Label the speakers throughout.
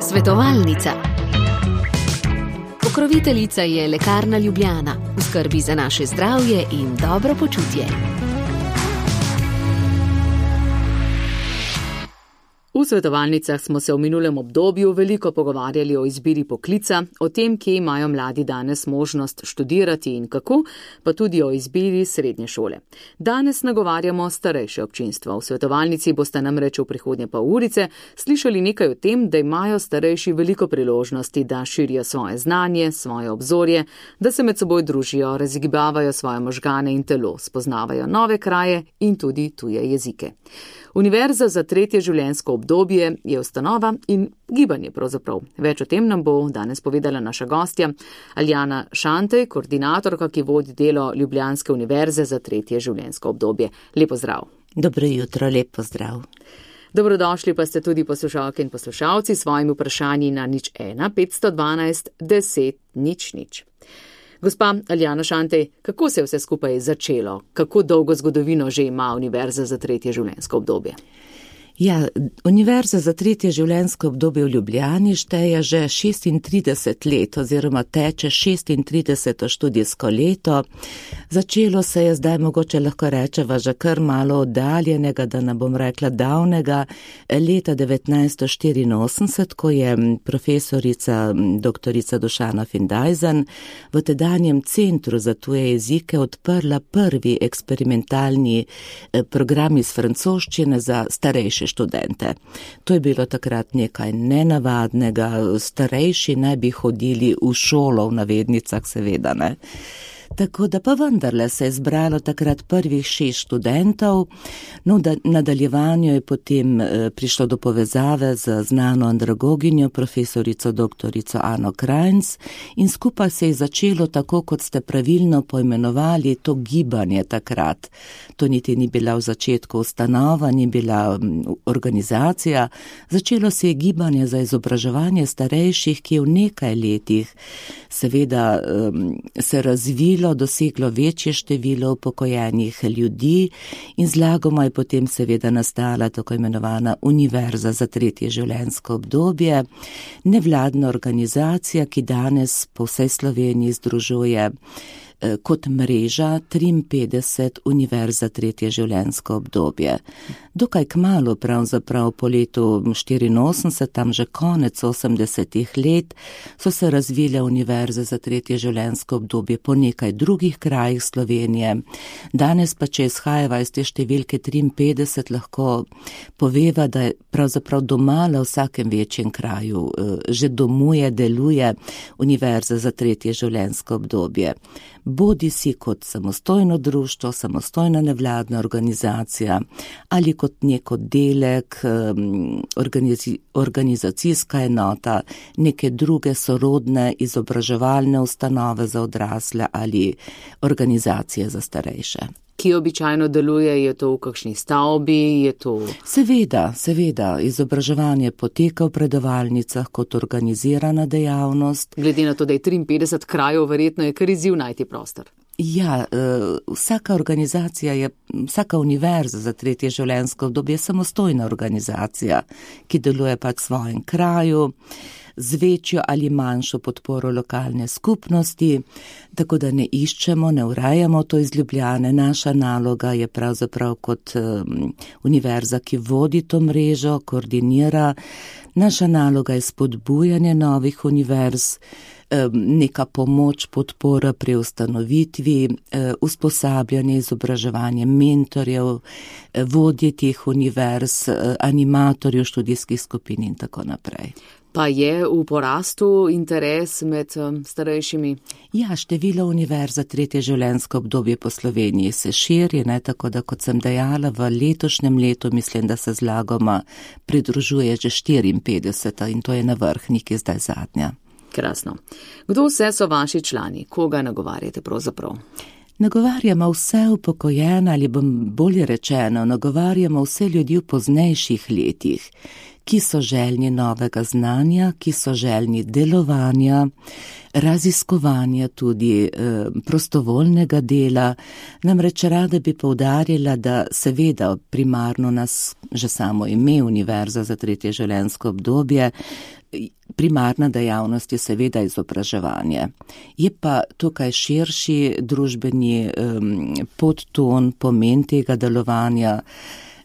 Speaker 1: Svetovalnica. Pokroviteljica je Lekarna Ljubljana, v skrbi za naše zdravje in dobro počutje.
Speaker 2: V svetovalnicah smo se v minulem obdobju veliko pogovarjali o izbiri poklica, o tem, kje imajo mladi danes možnost študirati in kako, pa tudi o izbiri srednje šole. Danes nagovarjamo starejše občinstvo. V svetovalnici boste namreč v prihodnje pol urice slišali nekaj o tem, da imajo starejši veliko priložnosti, da širijo svoje znanje, svoje obzorje, da se med seboj družijo, razgibavajo svoje možgane in telo, spoznavajo nove kraje in tudi tuje jezike. Univerza za tretje življenjsko obdobje je ustanova in gibanje pravzaprav. Več o tem nam bo danes povedala naša gostja Aljana Šantej, koordinatorka, ki vodi delo Ljubljanske univerze za tretje življenjsko obdobje. Lep pozdrav.
Speaker 3: Dobro jutro, lep pozdrav.
Speaker 2: Dobrodošli pa ste tudi poslušalke in poslušalci s svojimi vprašanji na 01 512 10 00. Gospa Aljana Šantej, kako se je vse skupaj začelo? Kako dolgo zgodovino že ima Univerza za tretje življenjsko obdobje?
Speaker 3: Ja, Univerza za tretje življenjsko obdobje v Ljubljani šteje že 36 let oziroma teče 36. študijsko leto. Začelo se je zdaj mogoče lahko rečeva že kar malo oddaljenega, da ne bom rekla davnega, leta 1984, ko je profesorica doktorica Dušana Findajzen v tedanjem Centru za tuje jezike odprla prvi eksperimentalni program iz francoščine za starejše študente. To je bilo takrat nekaj nenavadnega, starejši naj bi hodili v šolo, v navednicah seveda, ne. Tako da pa vendarle se je zbralo takrat prvih 6 študentov, no v nadaljevanju je potem prišlo do povezave z znano andragoginjo, profesorico doktorico Ano Krajnc in skupaj se je začelo tako, kot ste pravilno poimenovali, to gibanje takrat. To niti ni bila v začetku ustanova, ni bila organizacija. Začelo se je gibanje za izobraževanje starejših, ki je v nekaj letih seveda se razvilo, doseglo večje število upokojenih ljudi in zlagoma je potem seveda nastala tako imenovana Univerza za tretje življenjsko obdobje, nevladna organizacija, ki danes po vsej Sloveniji združuje kot mreža 53 univerz za tretje življenjsko obdobje. Dokaj kmalu, pravzaprav po letu 84, tam že konec 80-ih let, so se razvile univerze za tretje življenjsko obdobje po nekaj drugih krajih Slovenije. Danes pa, če izhajava iz te številke 53, lahko poveva, da je pravzaprav domala v vsakem večjem kraju, že domuje, deluje univerza za tretje življenjsko obdobje. Bodi si kot samostojno društvo, samostojna nevladna organizacija ali kot nek oddelek, organizacijska enota, neke druge sorodne izobraževalne ustanove za odrasle ali organizacije za starejše.
Speaker 2: Ki običajno deluje, je to v kakšni stavbi, je to...
Speaker 3: Seveda, izobraževanje poteka v predavalnicah kot organizirana dejavnost.
Speaker 2: Glede na to, da je 53 krajev, verjetno je kar izziv najti prostor.
Speaker 3: Ja, vsaka organizacija vsaka univerza za tretje življenjsko obdobje je samostojna organizacija, ki deluje pač v svojem kraju, z večjo ali manjšo podporo lokalne skupnosti, tako da ne iščemo, ne urejamo to iz Ljubljane. Naša naloga je pravzaprav kot univerza, ki vodi to mrežo, koordinira. Naša naloga je spodbujanje novih univerz, neka pomoč, podpora pri ustanovitvi, usposabljanje, izobraževanje mentorjev, vodje teh univerz, animatorjev študijskih skupin in tako naprej.
Speaker 2: Pa je v porastu interes med starejšimi?
Speaker 3: Ja, število univerz za tretje življenjsko obdobje po Sloveniji se širi, tako da, kot sem dejala, v letošnjem letu mislim, da se zlagoma pridružuje že 54 in to je na vrhniki zdaj zadnja.
Speaker 2: Krasno. Kdo vse so vaši člani? Koga nagovarjate pravzaprav?
Speaker 3: Nagovarjamo vse upokojene ali bom bolje rečeno, nagovarjamo vse ljudi v poznejših letih, ki so željni novega znanja, ki so željni delovanja, raziskovanja, tudi prostovoljnega dela. Namreč rada bi poudarila, da seveda primarno nas že samo ime Univerza za tretje življenjsko obdobje, primarna dejavnost je seveda izobraževanje. Je pa tukaj širši družbeni podton, pomen tega delovanja.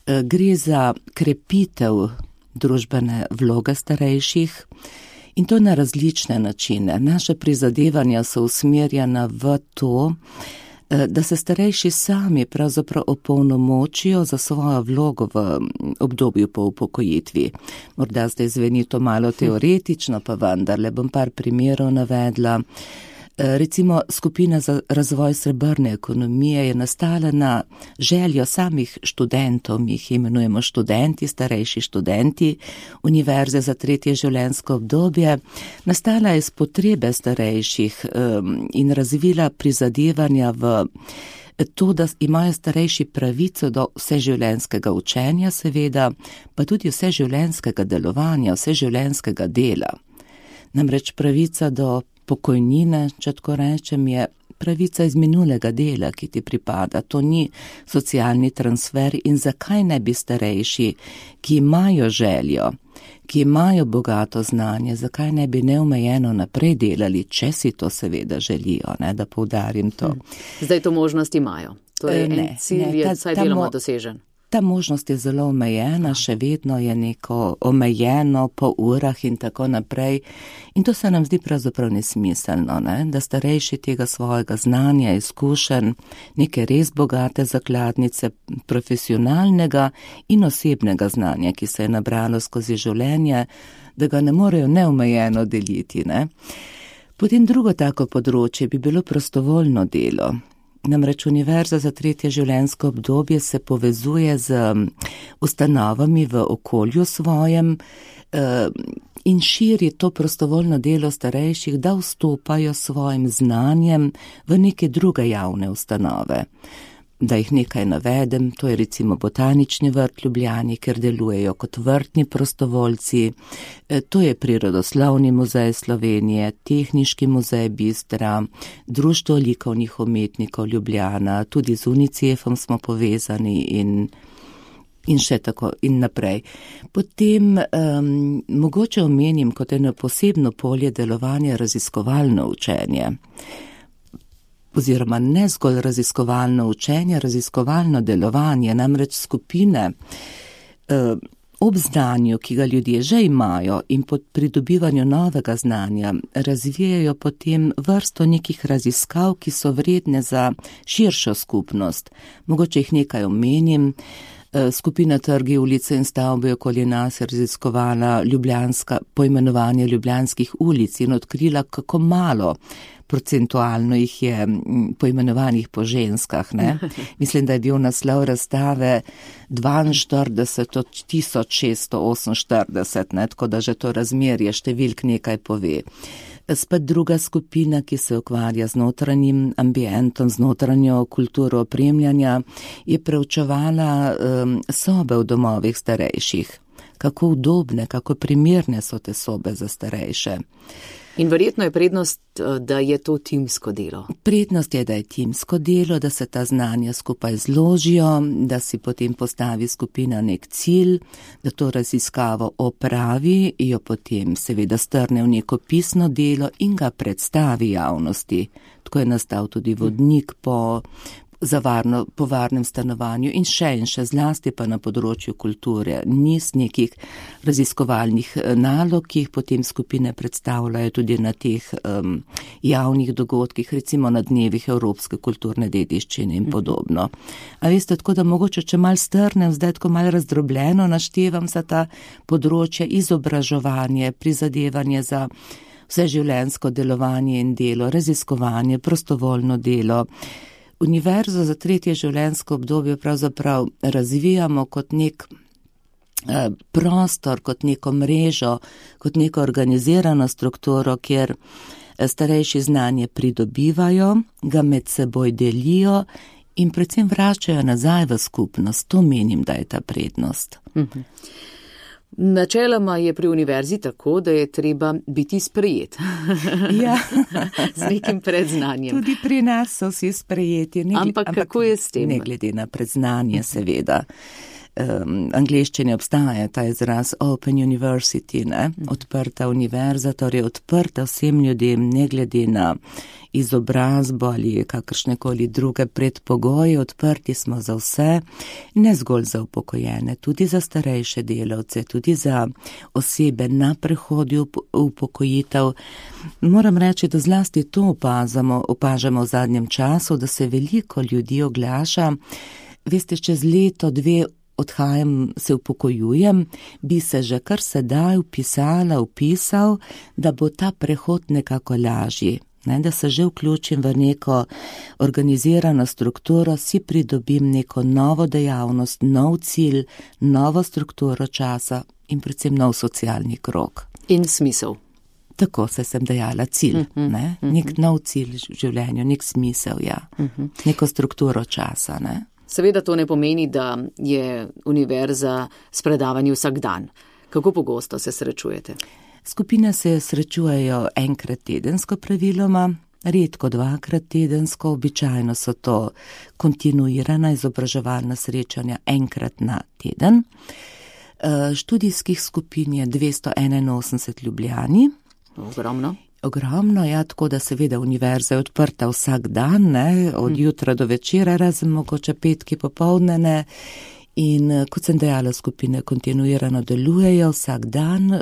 Speaker 3: Gre za krepitev družbene vloge starejših in to na različne načine. Naše prizadevanja so usmerjena v to, da se starejši sami pravzaprav opolnomočijo za svojo vlogo v obdobju po upokojitvi. Morda zdaj zveni to malo teoretično, pa vendarle bom par primerov navedla. Recimo skupina za razvoj srebrne ekonomije je nastala na željo samih študentov, mi jih imenujemo študenti, starejši študenti Univerze za tretje življenjsko obdobje. Nastala je iz potrebe starejših in razvila prizadevanja v to, da imajo starejši pravico do vseživljenjskega učenja, seveda, pa tudi vseživljenjskega delovanja, vseživljenjskega dela. Namreč pravica do pokojnine, če tako rečem, je pravica iz minulega dela, ki ti pripada. To ni socialni transfer in zakaj ne bi starejši, ki imajo željo, ki imajo bogato znanje, zakaj ne bi neomejeno naprej delali, če si to seveda želijo, ne, da poudarim to.
Speaker 2: Zdaj to možnost imajo. Torej en cilj je vsaj deloma dosežen.
Speaker 3: Ta možnost je zelo omejena, še vedno je neko omejeno po urah in tako naprej. In to se nam zdi pravzaprav nesmiselno, ne? Da starejši tega svojega znanja, izkušenj, neke res bogate zakladnice profesionalnega in osebnega znanja, ki se je nabralo skozi življenje, da ga ne morejo neomejeno deliti, ne? Potem drugo tako področje bi bilo prostovoljno delo. Namreč Univerza za tretje življenjsko obdobje se povezuje z ustanovami v okolju svojem in širi to prostovoljno delo starejših, da vstopajo svojim znanjem v neke druge javne ustanove. Da jih nekaj navedem, to je recimo Botanični vrt Ljubljani, ker delujejo kot vrtni prostovoljci, to je Prirodoslovni muzej Slovenije, Tehniški muzej Bistra, Društvo likovnih umetnikov Ljubljana, tudi z UNICEF-om smo povezani in še tako in naprej. Potem mogoče omenim kot eno posebno polje delovanja raziskovalno učenje. Oziroma ne zgolj raziskovalno učenje, raziskovalno delovanje, namreč skupine ob znanju, ki ga ljudje že imajo in pod pridobivanju novega znanja, razvijajo potem vrsto nekih raziskav, ki so vredne za širšo skupnost. Mogoče jih nekaj omenim. Skupina Trgi, ulice in stavbe okoli nas je raziskovala poimenovanje ljubljanskih ulic in odkrila, kako malo procentualno jih je poimenovanih po ženskah, ne? Mislim, da je bil naslov razstave 42 od 1648, ne? Tako da že to razmerje številk nekaj pove. Spet druga skupina, ki se ukvarja z notranjim ambientom, z notranjo kulturo opremljanja, je preučevala sobe v domovih starejših. Kako udobne, kako primerne so te sobe za starejše.
Speaker 2: In verjetno je prednost, da je to timsko delo.
Speaker 3: Prednost je, da je timsko delo, da se ta znanja skupaj zložijo, da si potem postavi skupina nek cilj, da to raziskavo opravi, jo potem seveda strne v neko pisno delo in ga predstavi javnosti. Tako je nastal tudi vodnik po varnem stanovanju in še zlasti pa na področju kulture. Niz nekih raziskovalnih nalog, ki jih potem skupine predstavljajo tudi na teh javnih dogodkih, recimo na dnevih evropske kulturne dediščine in podobno. A veste, tako da mogoče, če malo strnem, zdaj tako malo razdrobljeno naštevam za ta področja izobraževanje, prizadevanje za vseživljenjsko delovanje in delo, raziskovanje, prostovoljno delo. Univerzo za tretje življenjsko obdobje pravzaprav razvijamo kot nek prostor, kot neko mrežo, kot neko organizirano strukturo, kjer starejši znanje pridobivajo, ga med seboj delijo in predvsem vračajo nazaj v skupnost. To menim, da je ta prednost.
Speaker 2: Načeloma je pri univerzi tako, da je treba biti sprejet.
Speaker 3: Ja.
Speaker 2: Z nekim predznanjem.
Speaker 3: Tudi pri nas so vsi sprejeti.
Speaker 2: Ampak kako je s tem?
Speaker 3: Ne glede na predznanje, seveda. Angleščini obstaja ta izraz Open University, odprta univerza, torej odprta vsem ljudem, ne glede na izobrazbo ali kakršnekoli druge predpogoje, odprti smo za vse, ne zgolj za upokojene, tudi za starejše delavce, tudi za osebe na prehodu upokojitev. Moram reči, da zlasti to opažamo v zadnjem času, da se veliko ljudi oglaša. Veste, čez leto, dve odhajam, se upokojujem, bi se že kar sedaj vpisal, da bo ta prehod nekako lažji. Da se že vključim v neko organizirano strukturo, si pridobim neko novo dejavnost, nov cilj, novo strukturo časa in predvsem nov socialni krog.
Speaker 2: In smisel.
Speaker 3: Tako se sem dejala, cilj, nek nov cilj v življenju, nek smisel, ja. Neko strukturo časa,
Speaker 2: Seveda to ne pomeni, da je univerza s predavanji vsak dan. Kako pogosto se srečujete?
Speaker 3: Skupine se srečujejo enkrat tedensko praviloma, redko dvakrat tedensko, običajno so to kontinuirana izobraževalna srečanja enkrat na teden. Študijskih skupin je 281 v Ljubljani. Ogromno, ja, tako da seveda univerza je odprta vsak dan, od jutra do večera, razen mogoče petki popoldne. In kot sem dejala, skupine kontinuirano delujejo vsak dan,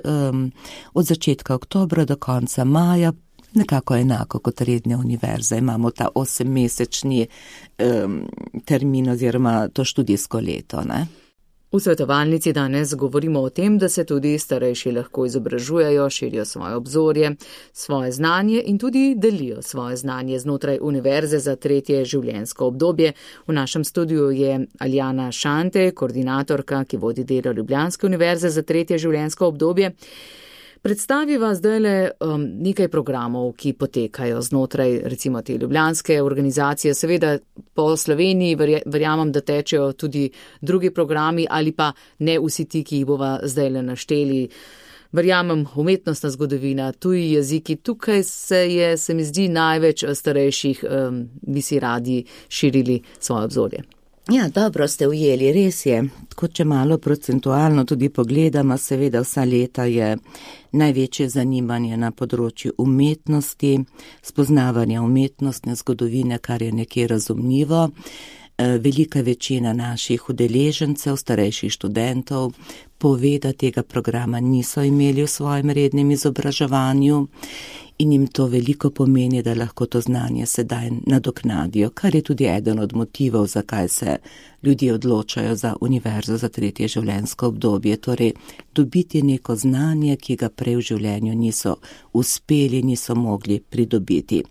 Speaker 3: od začetka oktobra do konca maja, nekako enako kot redne univerze. Imamo ta 8-mesečni termin oziroma to študijsko leto,
Speaker 2: V svetovalnici danes govorimo o tem, da se tudi starejši lahko izobražujejo, širijo svoje obzorje, svoje znanje in tudi delijo svoje znanje znotraj univerze za tretje življenjsko obdobje. V našem studiu je Aljana Šante, koordinatorka, ki vodi delo Ljubljanske univerze za tretje življenjsko obdobje. Predstaviva zdajle nekaj programov, ki potekajo znotraj recimo te ljubljanske organizacije. Seveda po Sloveniji verjamem, da tečejo tudi drugi programi ali pa ne vsi ti, ki jih bova zdajle našteli. Verjamem, umetnostna zgodovina, tuji jeziki, tukaj se mi zdi največ starejših, bi si radi širili svoje obzorje.
Speaker 3: Ja, dobro ste ujeli, res je. Tako, če malo procentualno tudi pogledamo, seveda vsa leta je največje zanimanje na področju umetnosti, spoznavanja umetnostne zgodovine, kar je nekje razumljivo. Velika večina naših udeležencev, starejših študentov, pove, da tega programa niso imeli v svojem rednem izobraževanju in jim to veliko pomeni, da lahko to znanje sedaj nadoknadijo, kar je tudi eden od motivov, zakaj se ljudje odločajo za univerzo za tretje življenjsko obdobje, torej dobiti neko znanje, ki ga prej v življenju niso uspeli, niso mogli pridobiti.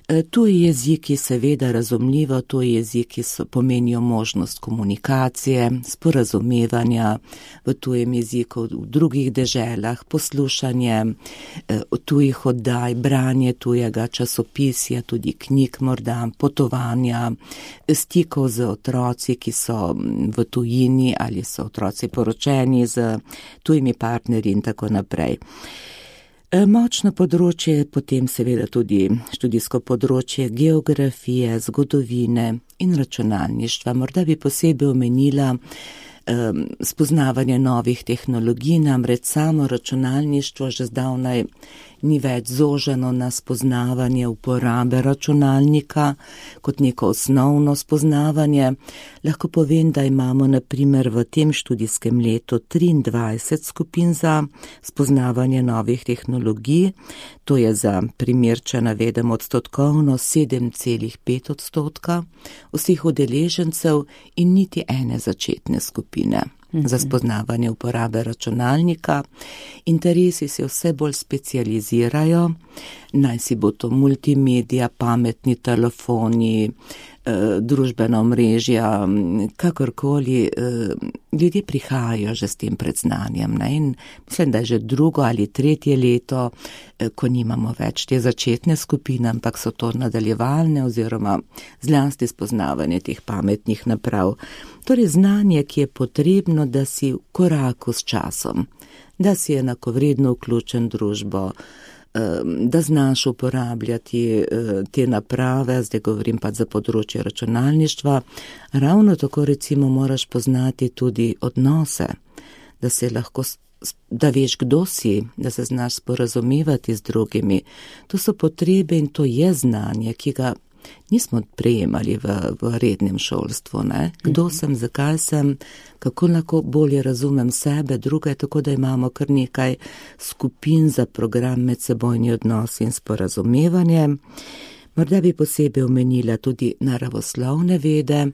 Speaker 3: Tuji jeziki, seveda razumljivo, tuji jeziki pomenijo možnost komunikacije, sporazumevanja v tujem jeziku v drugih deželah, poslušanje tujih oddaj, branje tujega časopisja, tudi knjig morda, potovanja, stikov z otroci, ki so v tujini ali so otroci poročeni z tujimi partnerji in tako naprej. Močno področje, potem seveda tudi študijsko področje geografije, zgodovine in računalništva. Morda bi posebej omenila spoznavanje novih tehnologij, namreč samo računalništvo že zdavnaj ni več zoženo na spoznavanje uporabe računalnika kot neko osnovno spoznavanje. Lahko povem, da imamo na primer v tem študijskem letu 23 skupin za spoznavanje novih tehnologij, to je za primer, če navedem odstotkovno 7,5% vseh udeležencev in niti ene začetne skupine za spoznavanje uporabe računalnika. Interesi se vse bolj specializirajo, naj si bo to multimedija, pametni telefoni, družbena omrežja, kakorkoli, ljudje prihajajo že s tem predznanjem, ne? In mislim, da je že drugo ali tretje leto, ko nimamo več te začetne skupine, ampak so to nadaljevalne oziroma zlasti spoznavanje teh pametnih naprav. Torej znanje, ki je potrebno, da si v koraku s časom, da si enakovredno vključen v družbo, da znaš uporabljati te naprave, zdaj govorim pa za področje računalništva. Ravno tako recimo moraš poznati tudi odnose, da se lahko, da veš, kdo si, da se znaš sporazumevati z drugimi. To so potrebe in to je znanje, ki ga nismo prejemali v rednem šolstvu, ne? Kdo sem, zakaj sem, kako lahko bolje razumem sebe, druge, tako da imamo kar nekaj skupin za program medsebojni odnos in sporazumevanje. Morda bi posebej omenila tudi naravoslovne vede.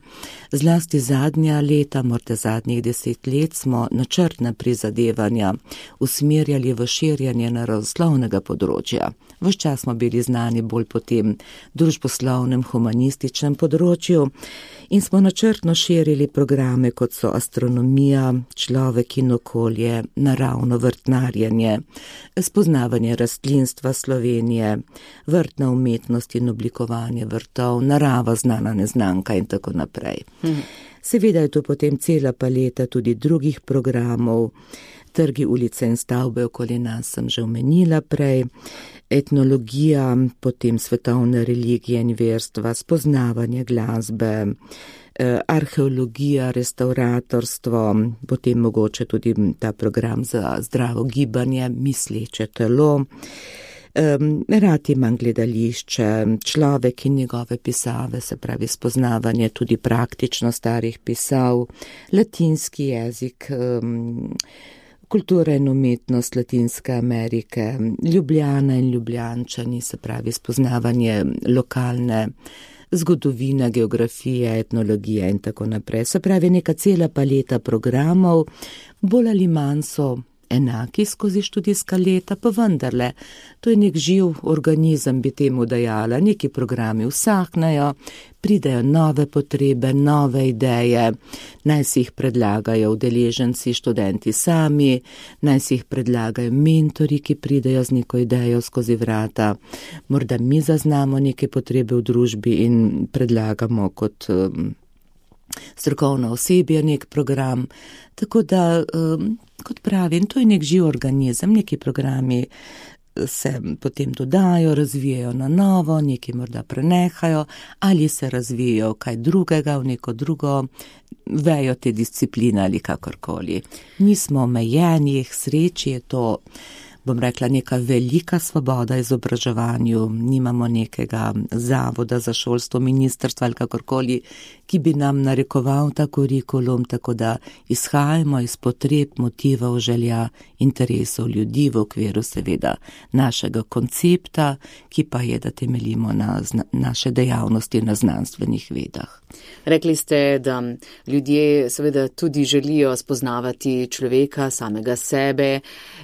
Speaker 3: Zlasti zadnja leta, morda zadnjih 10 let, smo načrtna prizadevanja usmerjali v širjanje naravoslovnega področja. Ves čas smo bili znani bolj po tem družboslovnem, humanističnem področju in smo načrtno širili programe, kot so astronomija, človek in okolje, naravno vrtnarjenje, spoznavanje rastlinstva Slovenije, vrtna umetnost in oblikovanje vrtov, narava znana neznanka in tako naprej. Seveda je tu potem cela paleta tudi drugih programov, trgi, ulice in stavbe okoli nas sem že omenila prej, etnologija, potem svetovne religije in verstva, spoznavanje glasbe, arheologija, restauratorstvo, potem mogoče tudi ta program za zdravo gibanje, misleče telo. Rad imam gledališče, človek in njegove pisave, se pravi spoznavanje tudi praktično starih pisav, latinski jezik, kultura in umetnost Latinske Amerike, Ljubljana in Ljubljančani, se pravi spoznavanje lokalne zgodovine, geografije, etnologije in tako naprej. Se pravi neka cela paleta programov, bolj ali manj so enaki skozi študijska leta, pa vendarle, to je nek živ organizem, bi temu dajala, neki programi vsaknejo, pridejo nove potrebe, nove ideje, naj si jih predlagajo udeleženci, študenti sami, naj si jih predlagajo mentori, ki pridejo z neko idejo skozi vrata, morda mi zaznamo neke potrebe v družbi in predlagamo kot strokovno osebje nek program, tako da, kot pravim, to je nek živ organizem, neki programi se potem dodajo, razvijajo na novo, neki morda prenehajo ali se razvijajo kaj drugega v neko drugo vejo te discipline ali kakorkoli. Nismo omejeni, k sreči je to, bom rekla, neka velika svoboda izobraževanju, nimamo nekega zavoda za šolstvo, ministrstva ali kakorkoli, ki bi nam narekoval ta kurikulum, tako da izhajamo iz potreb, motivov, želja, interesov ljudi v okviru seveda našega koncepta, ki pa je, da temeljimo na naše dejavnosti na znanstvenih vedah.
Speaker 2: Rekli ste, da ljudje seveda tudi želijo spoznavati človeka, samega sebe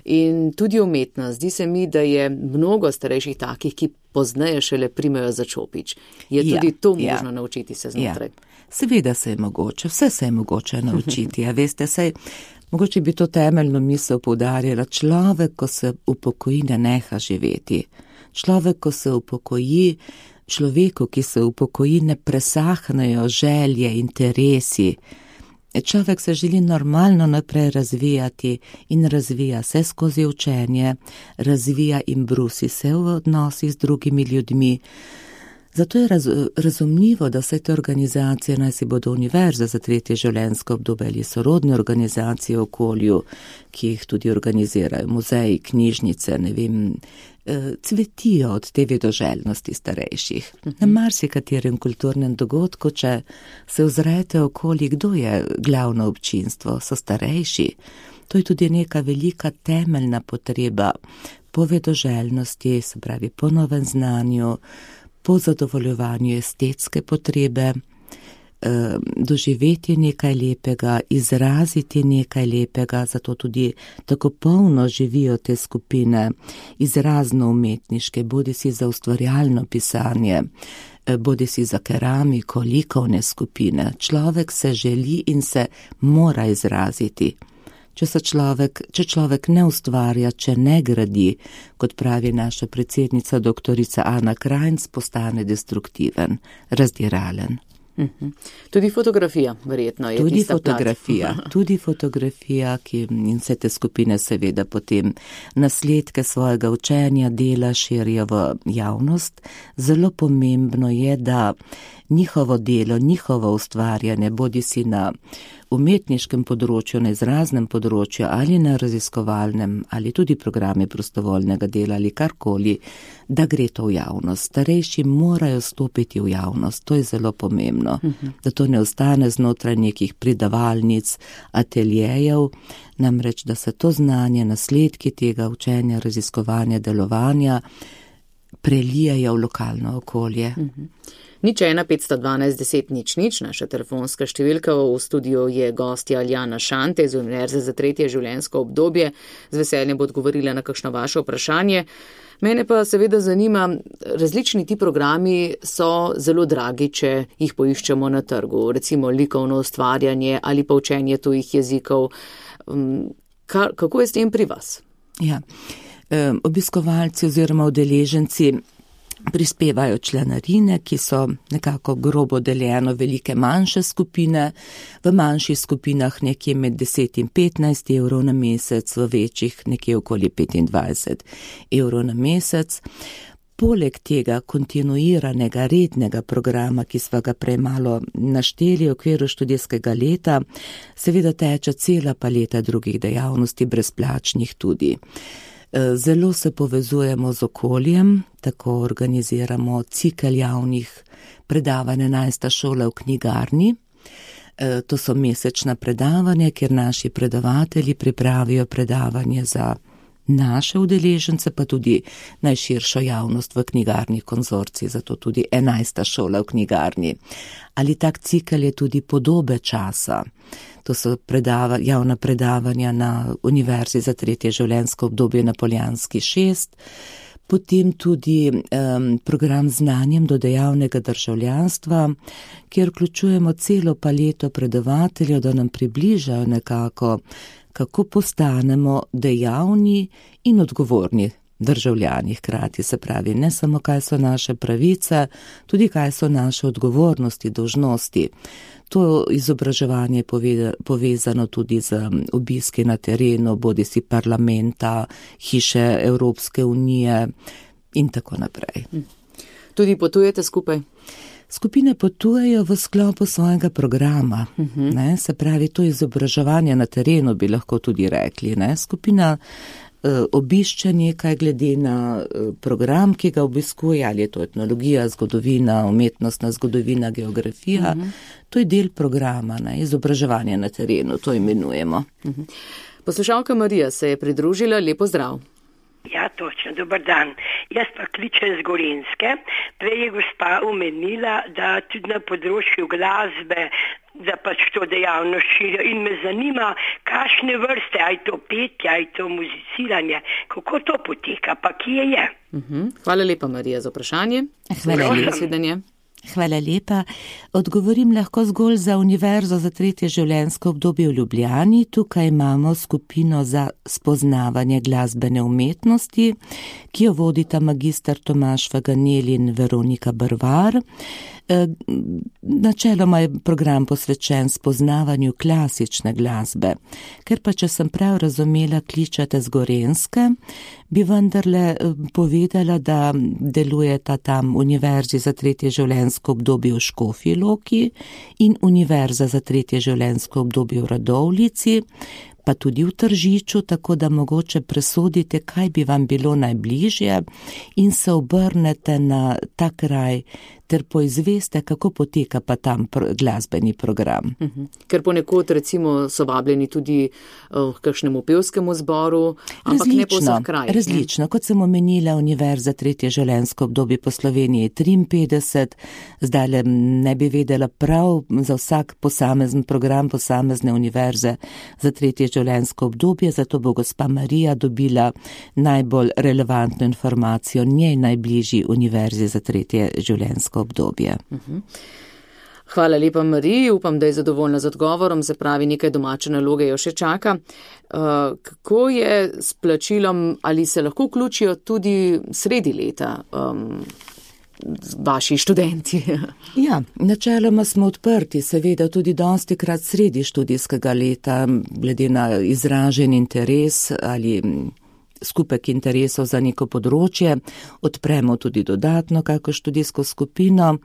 Speaker 2: in tudi umetnost. Zdi se mi, da je mnogo starejših takih, ki pozneje šele primejo za čopič. Je tudi to možno naučiti se znotraj?
Speaker 3: Seveda se je mogoče, vse se je mogoče naučiti. A veste, mogoče bi to temeljno misel poudarjala, človek, ko se upokoji, ne neha živeti. Človek, ko se upokoji, človeku, ki se upokoji, ne presahnejo želje, interesi. Človek se želi normalno naprej razvijati in razvija se skozi učenje, razvija in brusi se v odnosih z drugimi ljudmi. Zato je razumljivo, da vse te organizacije, naj si bodo univerze za tretje življenjsko obdobje ali sorodne organizacije v okolju, ki jih tudi organizirajo, muzeji, knjižnice, ne vem, cvetijo od te vedoželjnosti starejših. Na marsikaterem kulturnem dogodku, če se ozrete okoli, kdo je glavno občinstvo, so starejši. To je tudi neka velika temeljna potreba po vedoželjnosti, se pravi po novem znanju, po zadovoljevanju estetske potrebe. doživeti nekaj lepega, izraziti nekaj lepega, zato tudi tako polno živijo te skupine izrazno umetniške, bodi si za ustvarjalno pisanje, bodi si za keramiko, likovne skupine. Človek se želi in se mora izraziti. Če človek ne ustvarja, če ne gradi, kot pravi naša predsednica doktorica Ana Krajnc, postane destruktiven, razdiralen.
Speaker 2: Tudi fotografija, verjetno je
Speaker 3: Tudi fotografija, ki in vse te skupine seveda potem nasledke svojega učenja, dela širijo v javnost. Zelo pomembno je, da njihovo delo, njihovo ustvarjanje, bodi si na umetniškem področju, na izraznem področju ali na raziskovalnem ali tudi programe prostovoljnega dela ali karkoli, da gre to v javnost. Starejši morajo stopiti v javnost, to je zelo pomembno, da to ne ostane znotraj nekih pridavalnic, ateljejev, namreč da se to znanje, nasledki tega učenja, raziskovanja, delovanja prelijajo v lokalno okolje.
Speaker 2: 01 512 10 00, naša telefonska številka. V studiu je gostja Aljana Šante iz Univerze za tretje življenjsko obdobje. Z veseljem bo odgovorila na kakšno vaše vprašanje. Mene pa seveda zanima, različni ti programi so zelo dragi, če jih poiščemo na trgu, recimo likovno ustvarjanje ali pa učenje tujih jezikov. Kako je s tem pri vas?
Speaker 3: Ja, obiskovalci oziroma udeleženci prispevajo članarine, ki so nekako grobo deljeno velike manjše skupine, v manjših skupinah nekje med 10 in 15 evrov na mesec, v večjih nekje okoli 25 evrov na mesec. Poleg tega kontinuiranega rednega programa, ki sva ga prej malo našteli v okviru študijskega leta, seveda teče cela paleta drugih dejavnosti, brezplačnih tudi. Zelo se povezujemo z okoljem, tako organiziramo cikel javnih predavanj 11. šola v knjigarni. To so mesečna predavanja, kjer naši predavatelji pripravijo predavanje za naše udeležence, pa tudi najširšo javnost v knjigarni konzorciji, zato tudi 11. šola v knjigarni. Ali tak cikel je tudi podobe časa. To so javna predavanja na Univerzi za tretje življenjsko obdobje na Poljanski 6, potem tudi program znanjem do dejavnega državljanstva, kjer vključujemo celo paleto predavateljev, da nam približajo nekako, kako postanemo dejavni in odgovorni državljani hkrati, se pravi, ne samo kaj so naše pravice, tudi kaj so naše odgovornosti, dolžnosti. To izobraževanje je povezano tudi z obiski na terenu, bodi si parlamenta, hiše Evropske unije in tako naprej.
Speaker 2: Tudi potujete skupaj?
Speaker 3: Skupine potujejo v sklopu svojega programa, se pravi, to izobraževanje na terenu bi lahko tudi rekli. Skupina obišče nekaj glede na program, ki ga obiskuje, ali je to etnologija, zgodovina, umetnostna zgodovina, geografija. To je del programa, izobraževanje na terenu, to imenujemo.
Speaker 2: Poslušalka Marija se je pridružila, lepo zdrav.
Speaker 4: Ja, točno, dober dan. Jaz pa kličem z Gorenjske. Prej je gospa omenila, da tudi na področju glasbe, da pač to dejavnost širijo. In me zanima, kakšne vrste, aj to petje, aj to muziciranje, kako to poteka, pa kje je.
Speaker 2: Hvala lepa, Marija, za vprašanje.
Speaker 3: Hvala lepa. Odgovorim lahko zgolj za Univerzo za tretje življenjsko obdobje v Ljubljani. Tukaj imamo skupino za spoznavanje glasbene umetnosti, ki jo vodita magister Tomaž Faganel in Veronika Brvar. Načeloma je program posvečen spoznavanju klasične glasbe. Ker pa, če sem prav razumela, kličete z Gorenjske, bi vendarle povedala, da delujeta tam Univerzi za tretje življenjsko obdobje v Škofji Loki in Univerza za tretje življenjsko obdobje v Radovljici. pa tudi v Tržiču, tako da mogoče presodite, kaj bi vam bilo najbližje in se obrnete na ta kraj, ter poizveste, kako poteka pa tam glasbeni program.
Speaker 2: Ker ponekod recimo so vabljeni tudi k kakšnemu pevskemu zboru, ampak ne po vseh krajih.
Speaker 3: Različno, kot sem omenila, Univerza tretje življenjsko obdobje po Sloveniji 53, zdaj ne bi vedela prav za vsak posamezen program, posamezne univerze za tretje življenjsko obdobje, zato bo gospa Marija dobila najbolj relevantno informacijo njej najbližji univerzi za tretje življenjsko obdobje.
Speaker 2: Hvala lepa, Mariji, upam, da je zadovoljna z odgovorom, se pravi, nekaj domače naloge jo še čaka. Kako je s plačilom, ali se lahko vključijo tudi sredi leta vaši študenti?
Speaker 3: Ja, načeloma smo odprti, seveda tudi dostikrat sredi študijskega leta, glede na izražen interes ali skupek interesov za neko področje, odpremo tudi dodatno kako študijsko skupino.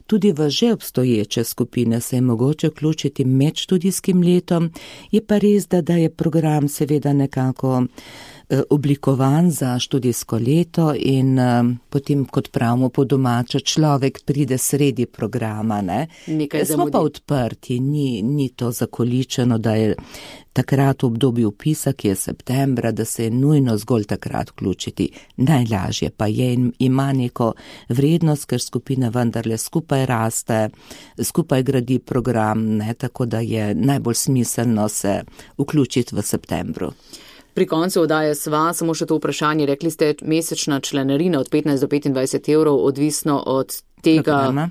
Speaker 3: Tudi v že obstoječe skupine se je mogoče vključiti med študijskim letom, je pa res, da je program seveda nekako oblikovan za študijsko leto in potem, kot pravimo po domače, človek pride sredi programa. Smo pa odprti, ni to zakoličeno, da je takrat v obdobju vpisa, ki je septembra, da se je nujno zgolj takrat vključiti. Najlažje pa je in ima neko vrednost, ker skupina vendarle skupaj raste, skupaj gradi program, tako da je najbolj smiselno se vključiti v septembru.
Speaker 2: Pri koncu oddaje sva, samo še to vprašanje, rekli ste mesečna članarina od 15 do 25 evrov, odvisno od tega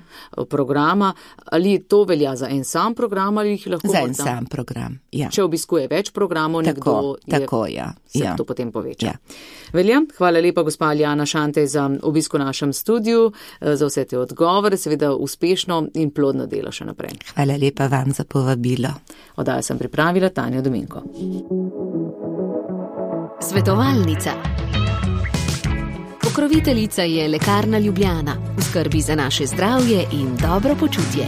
Speaker 2: programa. Ali to velja za en sam program ali jih lahko?
Speaker 3: Za en sam program, ja.
Speaker 2: Če obiskuje več programov, se to potem poveča.
Speaker 3: Ja.
Speaker 2: Velja, hvala lepa gospa Alijana Šantej za obisk v našem studiu, za vse te odgovore, seveda uspešno in plodno delo še naprej.
Speaker 3: Hvala lepa vam za povabilo.
Speaker 2: Oddajo sem pripravila Tanja Dominko.
Speaker 1: Svetovalnica. Pokroviteljica je Lekarna Ljubljana, v skrbi za naše zdravje in dobro počutje.